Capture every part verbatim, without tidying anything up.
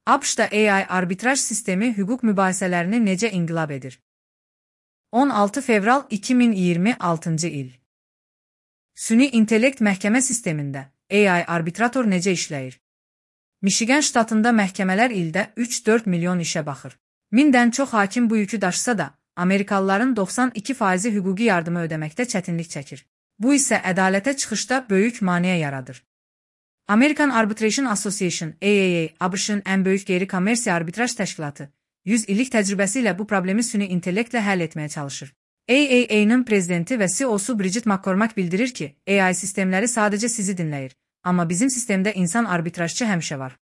ABŞ'da A I arbitraj sistemi hüquq mübahisələrini necə inqilab edir? on altı fevral iki min iyirmi altıncı il. Süni intellekt məhkəmə sistemində A I arbitrator necə işləyir? Michigan ştatında məhkəmələr ildə üç dörd milyon işə baxır. Mindən çox hakim bu yükü daşısa da, Amerikalıların doxsan iki faizi hüquqi yardımı ödəməkdə çətinlik çəkir. Bu isə ədalətə çıxışda böyük maneə yaradır. American Arbitration Association A A A, ABŞ-ın ən böyük qeyri-kommersiya arbitraj təşkilatı, yüz illik təcrübəsi ilə bu problemi süni intellektlə həll etməyə çalışır. A A A-nın prezidenti və C E O-su Bridget McCormack bildirir ki, A I sistemləri sadəcə sizi dinləyir, amma bizim sistemdə insan arbitrajçı həmişə var.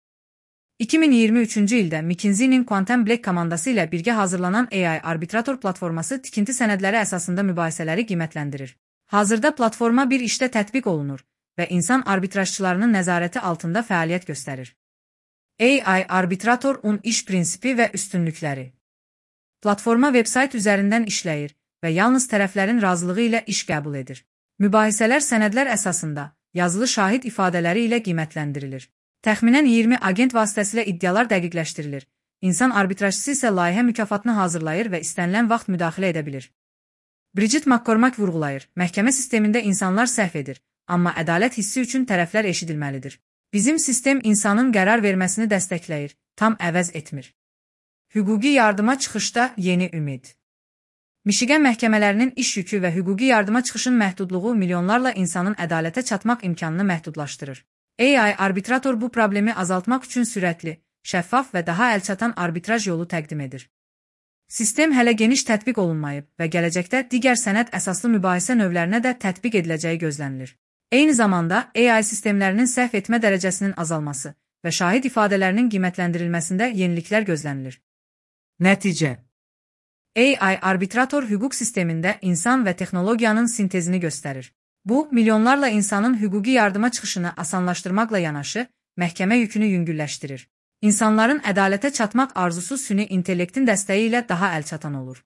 iki min iyirmi üçüncü ildə McKinsey-nin Quantum Black komandası ilə birgə hazırlanan A I arbitrator platforması tikinti sənədləri əsasında mübahisələri qiymətləndirir. Hazırda platforma bir işdə tətbiq olunur və insan arbitrajçılarının nəzarəti altında fəaliyyət göstərir. A I arbitratorun iş prinsipi və üstünlükləri. Platforma veb-sayt üzərindən işləyir və yalnız tərəflərin razılığı ilə iş qəbul edir. Mübahisələr sənədlər əsasında, yazılı şahid ifadələri ilə qiymətləndirilir. Təxminən iyirmi agent vasitəsilə iddialar dəqiqləşdirilir. İnsan arbitrajçısı isə layihə mükafatını hazırlayır və istənilən vaxt müdaxilə edə bilir. Bridget McCormack vurğulayır, məhkəmə sistemində insanlar səhv edir, amma ədalət hissi üçün tərəflər eşidilməlidir. Bizim sistem insanın qərar verməsini dəstəkləyir, tam əvəz etmir. Hüquqi yardıma çıxışda yeni ümid. Michigan məhkəmələrinin iş yükü və hüquqi yardıma çıxışın məhdudluğu milyonlarla insanın ədalətə çatmaq imkanını məhdudlaşdırır. A I arbitrator bu problemi azaltmaq üçün sürətli, şəffaf və daha əlçatan arbitraj yolu təqdim edir. Sistem hələ geniş tətbiq olunmayıb və gələcəkdə digər sənəd əsaslı mübahisə növlərinə də tətbiq ediləcəyi gözlənilir. Eyni zamanda A I sistemlərinin səhv etmə dərəcəsinin azalması və şahid ifadələrinin qiymətləndirilməsində yeniliklər gözlənilir. Nəticə: A I arbitrator hüquq sistemində insan və texnologiyanın sintezini göstərir. Bu, milyonlarla insanın hüquqi yardıma çıxışını asanlaşdırmaqla yanaşı, məhkəmə yükünü yüngülləşdirir. İnsanların ədalətə çatmaq arzusu süni intellektin dəstəyi ilə daha əlçatan olur.